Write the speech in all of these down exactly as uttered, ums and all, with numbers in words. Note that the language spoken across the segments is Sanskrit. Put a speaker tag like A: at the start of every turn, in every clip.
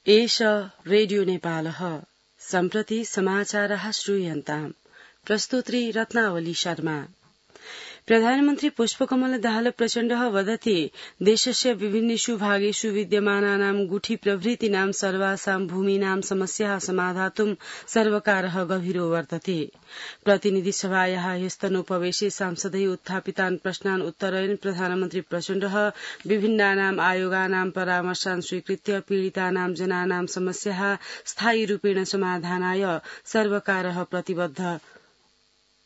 A: एष रेडियो नेपालः सम्प्रति समाचारः श्रूयन्ताम् प्रस्तुत्री रत्नावली शर्मा। प्रधानमन्त्री पुष्पकमल दाहाल प्रचण्डः वदति देशस्य विभिन्नेषु भागेषु विद्यमानानां गुठी प्रभृतीनां सर्वासां भूमीनां समस्याः समाधातुं सर्वकारः गभीरो वर्तते। प्रतिनिधि सभायाः ह्यस्तनोपवेशे सांसदै उत्थापितान् प्रश्नान् उत्तरयन् प्रधानमन्त्री प्रचण्डः विभिन्नानाम् आयोगानां परामर्शान् स्वीकृत्य पीडितानां जनानां समस्याः स्थायी रूपेण समाधानाय सर्वकारः प्रतिबद्ध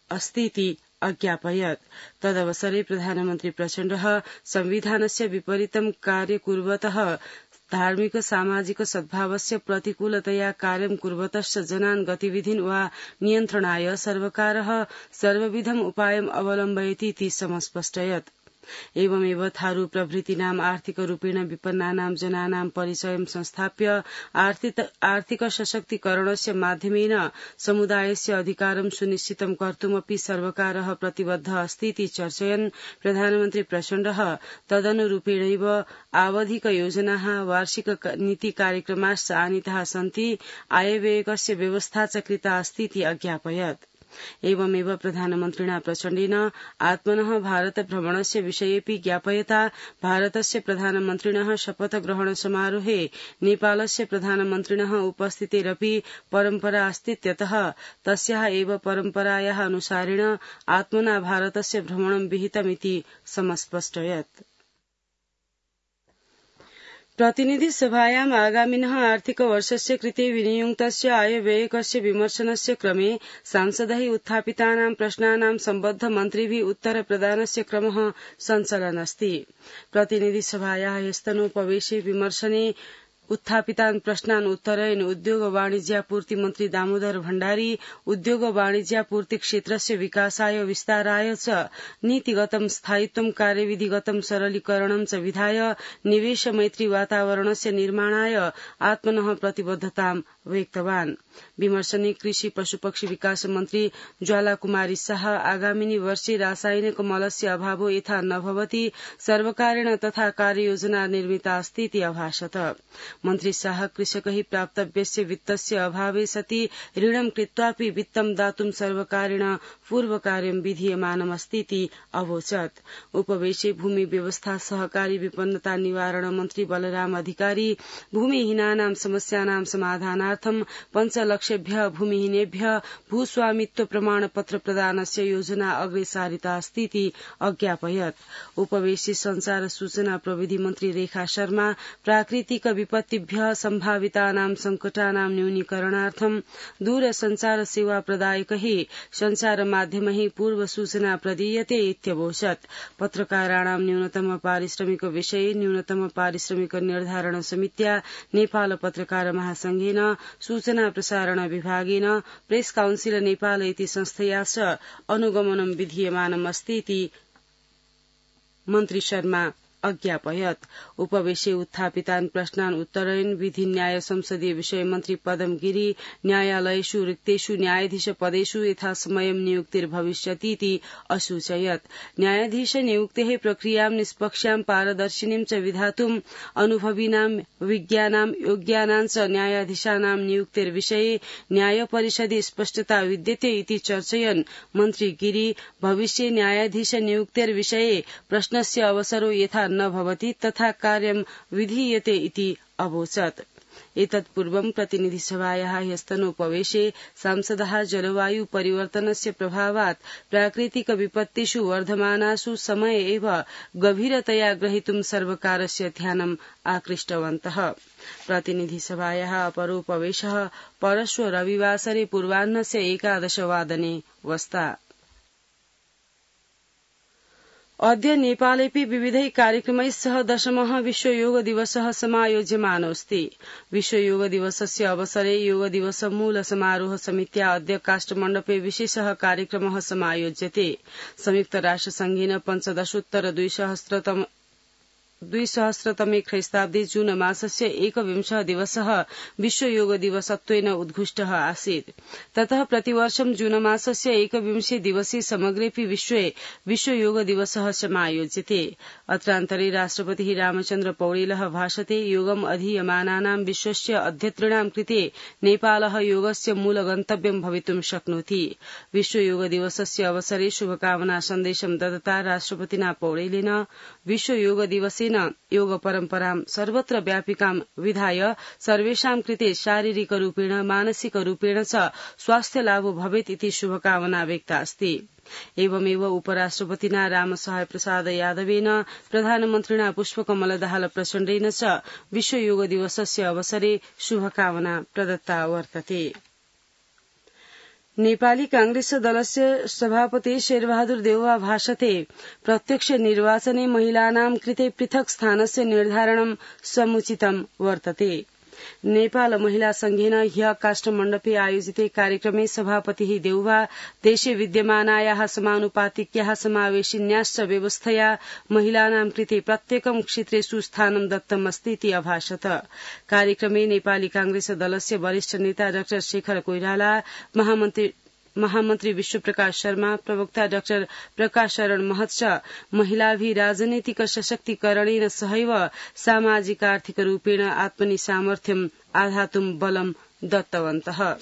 A: अस्तीति अज्ञापयत्। तदवसरे प्रधानमन्त्री प्रचण्डः संविधानस्य विपरीतं कार्य कुर्वतः धार्मिक सामाजिक सद्भावस्य प्रतिकूलतया कार्यं कुर्वतश्च जनान् गतिविधिन् वा नियन्त्रणाय सर्वकारः सर्वविधम् उपायम् अवलम्बयतीति समस्पष्टयत्। एवमेव थारू प्रभृतीनाम् आर्थिक रूपेण विपन्नानां जनानां परिचयं संस्थाप्य आर्थिक सशक्तीकरणस्य माध्यमेन समुदायस्य अधिकारं सुनिश्चितं कर्तुमपि सर्वकारः प्रतिबद्ध अस्तीति चर्चयन् प्रधानमन्त्री प्रचण्डः तदनुरूपेणैव आवधिक योजनाः वार्षिक नीति कार्यक्रमाश्च आनीताः सन्ति, आयव्ययकस्य व्यवस्था च कृता अस्तीति अज्ञापयत्। एवमेव प्रधानमन्त्रिणा प्रचण्डेन आत्मनः भारत भ्रमणस्य विषयेऽपि ज्ञापयता भारतस्य प्रधानमन्त्रिणः शपथ ग्रहण समारोहे नेपालस्य प्रधानमन्त्रिणः उपस्थितेरपि परम्परा अस्तीत्यतः तस्याः एव परम्परायाः अनुसारेण आत्मना भारतस्य भ्रमणं विहितमिति समस्पष्टयत्। प्रतिनिधि सभायाम् आगामिनः आर्थिक वर्षस्य कृते विनियुक्तस्य आयव्ययकस्य विमर्शनस्य क्रमे सांसदैः उत्थापितानां प्रश्नानां सम्बद्ध मन्त्रिभिः उत्तर प्रदानस्य क्रमः सञ्चलन् अस्ति। प्रतिनिधि सभायाः ह्यस्तनोपवेशे विमर्शने उत्थापितान् प्रश्नान् उत्तरयन् उद्योग वाणिज्यापूर्ति मन्त्री दामोदर भण्डारी उद्योग वाणिज्यापूर्ति क्षेत्रस्य विकासाय विस्ताराय च नीतिगतं स्थायित्वं कार्यविधिगतं सरलीकरणं च विधाय निवेश मैत्री वातावरणस्य निर्माणाय आत्मनः प्रतिबद्धतां व्यक्तवान्। विमर्शने कृषि पशुपक्षी विकास मन्त्री ज्वाला कुमारी शाह आगामिनी वर्षे रासायनिक मलस्य अभावो यथा न भवति सर्वकारेण तथा कार्ययोजना निर्मिता अस्तीति अभाषत। मन्त्री शाह कृषकैः प्राप्तव्यस्य वित्तस्य अभावे सति ऋणं कृत्वापि वित्तं दातुं सर्वकारेण पूर्वकार्यं विधीयमानमस्तीति अवोचत्। उपवेशे भूमि व्यवस्था सहकारी विपन्नता निवारण मन्त्री बलराम अधिकारी भूमिहीनानां समस्यानां समाधानार्थं पञ्चलक्षेभ्यः भूमिहीनेभ्यः भूस्वामित्व प्रमाणपत्र प्रदानस्य योजना अग्रे सारिता अस्तीति अज्ञापयत्। उपवेशे संचार सूचना प्रविधि मन्त्री रेखा शर्मा प्राकृतिक विपत्तिभ्यः सम्भावितानां संकटानां न्यूनीकरणार्थं दूरसञ्चार सेवा प्रदायकैः संचार माध्यमैः पूर्व सूचना प्रदीयते इत्यवोचत्। पत्रकाराणां न्यूनतम पारिश्रमिक विषये न्यूनतम पारिश्रमिक निर्धारण समित्या नेपाल पत्रकार महासंघेन सूचना प्रसारण विभागेन प्रेस काउन्सिल नेपाल इति संस्थया च अनुगमनं विधीयमानमस्तीति मन्त्री शर्मा अज्ञापयत्। उपवेशे उत्थापितान् प्रश्नान् उत्तरयन् विधि न्याय संसदीय विषय मन्त्री पदम गिरी न्यायालयेषु रिक्तेषु न्यायाधीश पदेषु यथासमयं नियुक्तिर्भविष्यतीति असूचयत्। न्यायाधीश नियुक्तेः प्रक्रियां निष्पक्षां पारदर्शिनीं च विधातुं अनुभविनां विज्ञानां योग्यानां च न्यायाधीशानां नियुक्तिर्विषये न्यायपरिषदि स्पष्टता विद्यते इति चर्चयन् मन्त्री गिरी भविष्ये न्यायाधीश नियुक्तिर्विषये प्रश्नस्य अवसरो यथा न भवति तथा कार्यं विधीयते इति अवोचत्। एतत्पूर्वं प्रतिनिधि सभायाः ह्यस्तनोपवेशे सांसदः जलवायु परिवर्तनस्य प्रभावात् प्राकृतिक विपत्तिषु वर्धमानासु समये एव गभीरतया ग्रहीतुं सर्वकारस्य ध्यानम् आकृष्टवन्तः। प्रतिनिधि सभायाः अपरोपवेशः परश्व रविवासरे पूर्वाह्नस्य एकादशवादने वस्ता। अद्य नेपालेऽपि विविधैः कार्यक्रमैः सह दशमः विश्व योग दिवसः समायोज्यमानोऽस्ति। विश्व योग दिवसस्य अवसरे योग दिवस मूल समारोह समित्या अद्य काष्ठमण्डपे विशेषः कार्यक्रमः समायोज्यते। संयुक्त राष्ट्र संघेन पञ्चदशोत्तर द्विसहस्रतम द्विसहस्रतमे ख्रीस्ताब्दे जून मासस्य एकविंशः दिवसः विश्व योग दिवसत्वेन उद्घुष्टः आसीत्। ततः प्रतिवर्षं जून मासस्य एकविंशे दिवसे समग्रेऽपि विश्वे विश्व योग दिवसः समायोज्यते। अत्रान्तरे राष्ट्रपतिः रामचन्द्र पौडेलः भाषते योगम् अधीयमानानां विश्वस्य अध्यतॄणां कृते नेपालः योगस्य मूलगन्तव्यं भवितुं शक्नोति। विश्व योग दिवसस्य अवसरे शुभकामना सन्देशं दत्ता राष्ट्रपतिना पौडेलेन विश्व योग दिवसेन योग परम्परां सर्वत्र व्यापिकां विधाय सर्वेषां कृते शारीरिक रूपेण मानसिक रूपेण च स्वास्थ्य लाभो भवेत् इति शुभकामना व्यक्ता अस्ति। एवमेव उपराष्ट्रपतिना रामसहाय प्रसाद यादवेन प्रधानमन्त्रिणा पुष्पकमल दाहाल प्रचण्डेन च विश्व योग दिवसस्य अवसरे शुभकामना प्रदत्ता वर्तते। नेपाली कांग्रेस दलस्य सभापति शेरबहादुर देउवा भाषते प्रत्यक्ष निर्वाचने महिलानां कृते पृथक् स्थानस्य निर्धारणं समुचितं वर्तते। नेपाल महिला संघेन ह्य काष्ठमण्डपे आयोजिते कार्यक्रमे सभापतिः देउवा देशे विद्यमानायाः समानुपातिक्याः समावेशिन्याश्च व्यवस्थया महिलानां कृते प्रत्येकं क्षेत्रेषु स्थानं दत्तमस्ति इति अभाषत। कार्यक्रमे नेपाली कांग्रेस दलस्य वरिष्ठ नेता डाक्टर शेखर कोइराला, महामन्त्री महामन्त्री विश्वप्रकाश शर्मा, प्रवक्ता डाक्टर प्रकाश शरण महत च महिलाभि राजनैतिक सशक्तिकरणेन सहैव सामाजिक आर्थिक रूपेण आत्मनि सामर्थ्यम् आधातुं बलं दत्तवन्तः।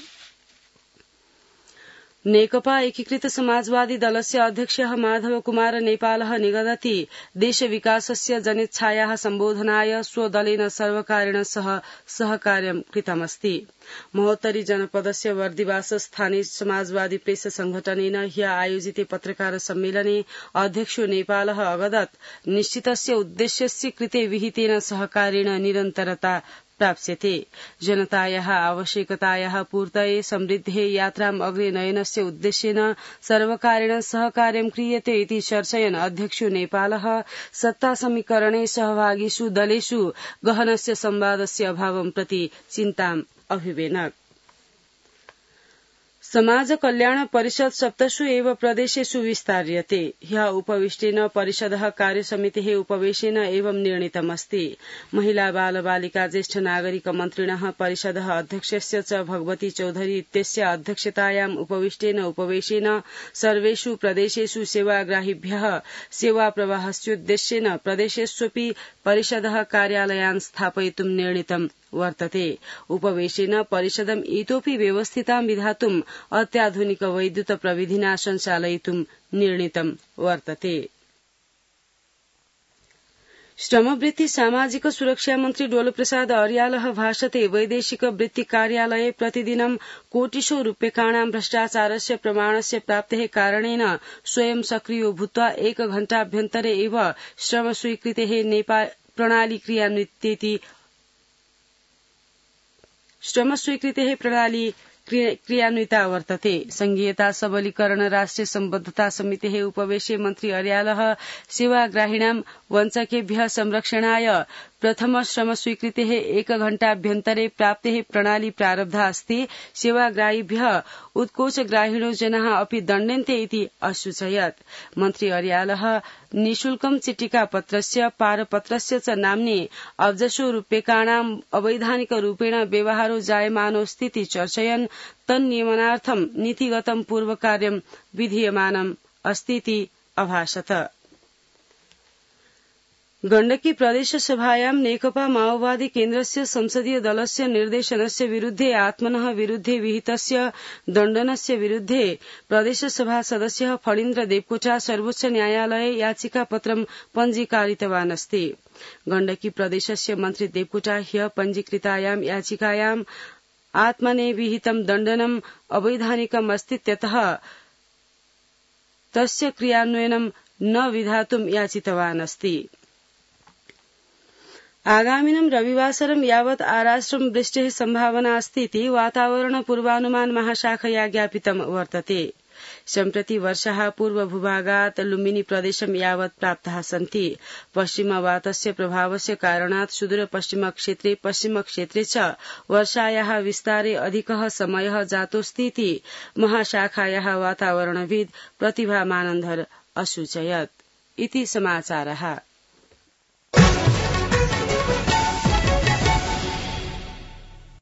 A: नेकपा एकीकृत समाजवादी दलस्य अध्यक्षः माधव कुमार नेपालः निगदति देश विकासस्य जनेच्छायाः सम्बोधनाय स्वदलेन सर्वकारेण सह सहकार्यं कृतमस्ति। महोत्तरी जनपदस्य वर्दिवास स्थाने समाजवादी प्रेस संघटनेन ह्य आयोजिते पत्रकार सम्मेलने अध्यक्षो नेपालः अवदत् निश्चितस्य उद्देश्यस्य कृते विहितेन सहकारेण निरन्तरता प्राप्स्यते। जनतायाः आवश्यकतायाः पूर्तये समृद्धे यात्राम् अग्रे नयनस्य उद्देश्येन सर्वकारेण सहकार्यं क्रियते इति चर्चयन् अध्यक्षो नेपालः सत्ता समीकरणे सहभागिषु दलेषु गहनस्य संवादस्य अभावं प्रति चिन्ताम् अभिवेनक। समाज कल्याण परिषद सप्तसु एव प्रदेशेषु विस्तार्यते। ह्य उपविष्टेन परिषदः कार्यसमितेः उपवेशेन एवं निर्णीतमस्ति। महिला बाल बालिका ज्येष्ठ नागरिक मन्त्रिणः परिषदः अध्यक्षस्य च भगवती चौधरी इत्यस्य अध्यक्षतायाम् उपविष्टेन उपवेशेन सर्वेषु प्रदेशेषु सेवाग्राहिभ्यः सेवा प्रवाहस्योद्देश्येन प्रदेशेष्वपि परिषदः कार्यालयान् स्थापयितुं निर्णीतम् वर्तते। उपवेशेन परिषदम् इतोपि व्यवस्थितां विधातुम् अत्याधुनिक वैद्युत प्रविधिना सञ्चालयितुं निर्णीतं वर्तते। श्रमवृत्ति सामाजिक सुरक्षा मन्त्री डोलप्रसाद अर्यालः भाषते वैदेशिक वृत्ति कार्यालये प्रतिदिनं कोटिशो रूप्यकाणां भ्रष्टाचारस्य प्रमाणस्य प्राप्तेः कारणेन स्वयं सक्रियो भूत्वा एक घण्टाभ्यन्तरे एव श्रम स्वीकृतेः नेपाल प्रणाली क्रियान्वितेति श्रम स्वीकृतेः प्रणाली क्रियान्विता वर्तते। संघीयता सबलीकरण राष्ट्रिय सम्बद्धता समितेः उपवेशे मन्त्री अर्यालः सेवाग्राहिणां वञ्चकेभ्यः संरक्षणाय प्रथम श्रम स्वीकृतेः एक घण्टाभ्यन्तरे प्राप्तेः प्रणाली प्रारब्धा अस्ति। सेवाग्राहिभ्यः उत्कोचग्राहिणो जनाः अपि दण्ड्यन्ते इति असूचयत्। मन्त्री अर्यालः निःशुल्कं चिट्टिकापत्रस्य पारपत्रस्य च नाम्नि अब्जशो रूप्यकाणाम् अवैधानिक रूपेण व्यवहारो जायमानोऽस्ति इति चर्चयन् तन्नियमनार्थं नीतिगतं पूर्वकार्यं विधीयमानम् अस्ति इति अभाषत। गण्डकी प्रदेश सभायां नेकपा माओवादी केन्द्रस्य संसदीय दलस्य निर्देशनस्य विरुद्धे आत्मनः विरुद्धे विहितस्य दण्डनस्य विरुद्धे प्रदेशसभा सदस्यः फणीन्द्र देवकोटा सर्वोच्च न्यायालये याचिकापत्रं पञ्जीकारितवान् अस्ति। गण्डकी प्रदेशस्य मन्त्री देवकोटा ह्य पञ्जीकृतायां याचिकायां आत्मने विहितं दण्डनम् अवैधानिकम् अस्तीत्यतः तस्य क्रियान्वयनं न विधातुं याचितवान् अस्ति। आगामिनं रविवासरं यावत् आराष्ट्रं वृष्टेः सम्भावना अस्ति इति वातावरण पूर्वानुमान महाशाखया ज्ञापितं वर्तते। सम्प्रति वर्षाः पूर्वभूभागात् लुम्बिनी प्रदेशं यावत् प्राप्ताः सन्ति। पश्चिमवातस्य प्रभावस्य कारणात् सुदूरपश्चिम क्षेत्रे पश्चिम क्षेत्रे च वर्षायाः विस्तारे अधिकः समयः जातोऽस्ति इति महाशाखायाः वातावरणविद् प्रतिभा मानन्धर असूचयत्। इति समाचारः।